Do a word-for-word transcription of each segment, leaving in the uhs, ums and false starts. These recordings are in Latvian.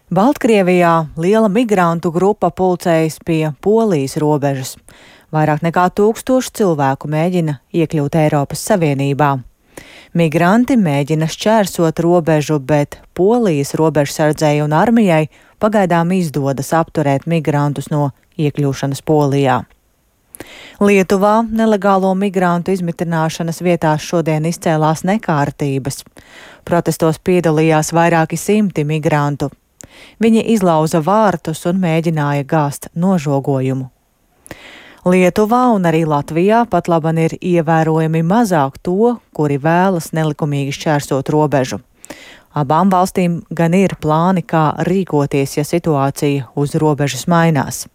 Baltkrievijā liela migrantu grupa pulcējas pie Polijas robežas. Vairāk nekā tūkstoši cilvēku mēģina iekļūt Eiropas Savienībā. Migranti mēģina šķērsot robežu, bet Polijas robežsardzei un armijai pagaidām izdodas apturēt migrantus no iekļūšanas Polijā. Lietuvā nelegālo migrantu izmitināšanas vietās šodien izcēlās nekārtības. Protestos piedalījās vairāki simti migrantu. Viņi izlauza vārtus un mēģināja gāzt nožogojumu. Lietuvā un arī Latvijā pat laban ir ievērojami mazāk to, kuri vēlas nelikumīgi šķērsot robežu. Abām valstīm gan ir plāni, kā rīkoties, ja situācija uz robežas mainās.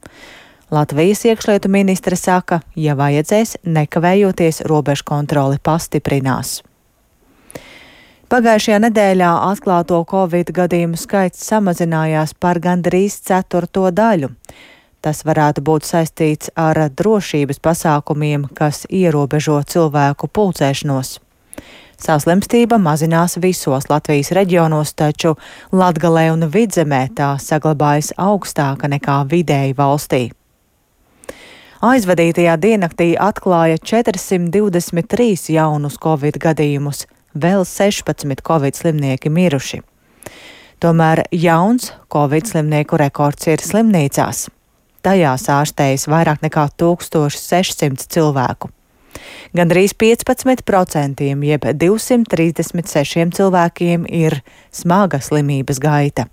Latvijas iekšlietu ministre saka, ja vajadzēs, nekavējoties robežu kontroli pastiprinās. Pagājušajā nedēļā atklāto Covid gadījumu skaits samazinājās par gandrīz ceturto daļu. Tas varētu būt saistīts ar drošības pasākumiem, kas ierobežo cilvēku pulcēšanos. Saslimstība mazinās visos Latvijas reģionos, taču Latgalē un Vidzemē tā saglabājas augstāka nekā vidēji valstī. Aizvadītajā diennaktī atklāja četrsimt divdesmit trīs jaunus Covid gadījumus, vēl sešpadsmit Covid slimnieki miruši. Tomēr jauns Covid slimnieku rekords ir slimnīcās. Tajās ārstējas vairāk nekā tūkstoš sešsimt cilvēku. Gandrīz piecpadsmit procenti, jeb divsimt trīsdesmit sešiem cilvēkiem ir smaga slimības gaita.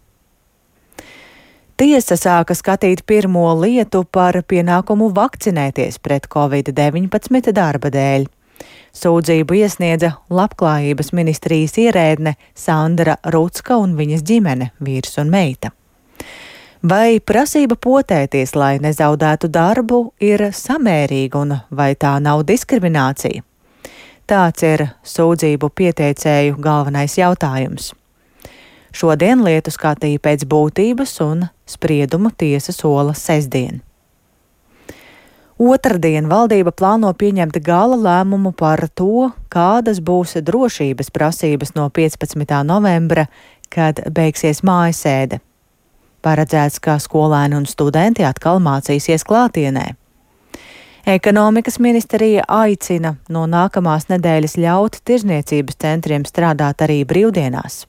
Tiesa sāka skatīt pirmo lietu par pienākumu vakcinēties pret Covid deviņpadsmit darba dēļ. Sūdzību iesniedza Labklājības ministrijas ierēdne Sandra Rucka un viņas ģimene, vīrs un meita. Vai prasība potēties, lai nezaudētu darbu, ir samērīga un vai tā nav diskriminācija? Tāds ir sūdzību pieteicēju galvenais jautājums. Šodien lietu skatīja pēc būtības un spriedumu tiesa sola sestdien. Otradien valdība plāno pieņemt gala lēmumu par to, kādas būs drošības prasības no piecpadsmitā novembra, kad beigsies mājasēde. Paredzēts, ka skolēni un studenti atkal mācīsies klātienē. Ekonomikas ministrija aicina no nākamās nedēļas ļaut tirzniecības centriem strādāt arī brīvdienās.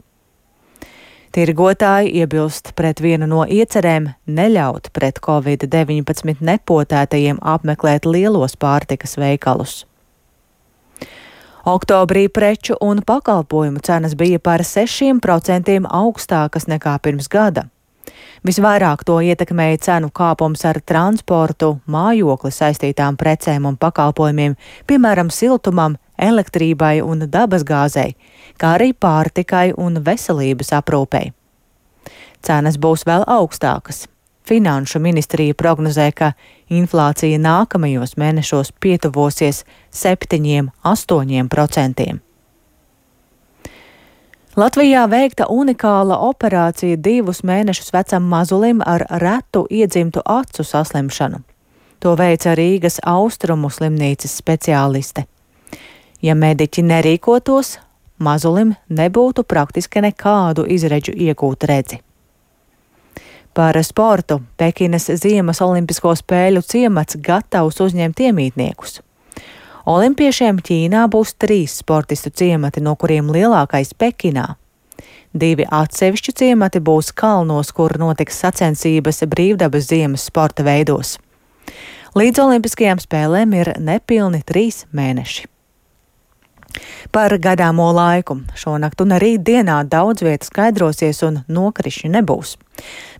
Tirgotāji iebilst pret vienu no iecerēm neļaut pret Covid deviņpadsmit nepotētajiem apmeklēt lielos pārtikas veikalus. Oktobrī preču un pakalpojumu cenas bija par sešiem procentiem augstākas nekā pirms gada. Visvairāk to ietekmēja cenu kāpums ar transportu, mājokli saistītām precēm un pakalpojumiem, piemēram, siltumam, elektrībai un dabasgāzei, kā arī pārtikai un veselības aprūpei. Cenas būs vēl augstākas. Finanšu ministrija prognozē, ka inflācija nākamajos mēnešos pietuvosies septiņiem, astoņiem procentiem. Latvijā veikta unikāla operācija divus mēnešus vecam mazulim ar retu iedzimtu acu saslimšanu. To veica Rīgas Austrumu slimnīcas speciāliste. Ja mediķi nerīkotos, mazulim nebūtu praktiski nekādu izredzu iegūt redzi. Par sportu Pekinas Ziemas olimpisko spēļu ciemats gatavs uzņemt iemītniekus. Olimpiešiem Ķīnā būs trīs sportistu ciemati, no kuriem lielākais Pekinā. Divi atsevišķi ciemati būs kalnos, kur notiks sacensības brīvdabas ziemas sporta veidos. Līdz olimpiskajām spēlēm ir nepilni trīs mēneši. Par gadāmo laiku. Šonakt un rīt dienā daudz vietas skaidrosies un nokrišņu nebūs.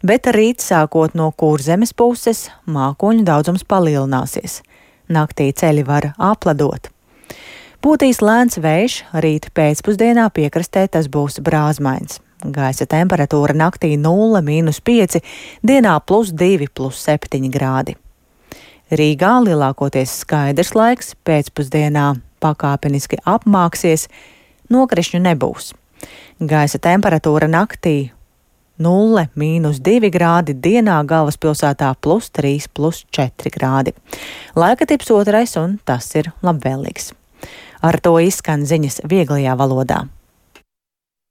Bet rīt sākot no Kurzemes puses mākoņu daudzums palielināsies. Naktī ceļi var apledot. Pūtīs lēns vējš, rīt pēcpusdienā piekrastē tas būs brāzmains. Gaisa temperatūra naktī nulle mīnus pieci, dienā plus divi, plus septiņi grādi. Rīgā lielākoties skaidrs laiks, pēcpusdienā pakāpeniski apmāksies, nokrišņu nebūs. Gaisa temperatūra naktī nulle mīnus divi grādi, dienā galvaspilsētā plus trīs, plus četri grādi. Laika tips otrais un tas ir labvēlīgs. Ar to izskan ziņas vieglajā valodā.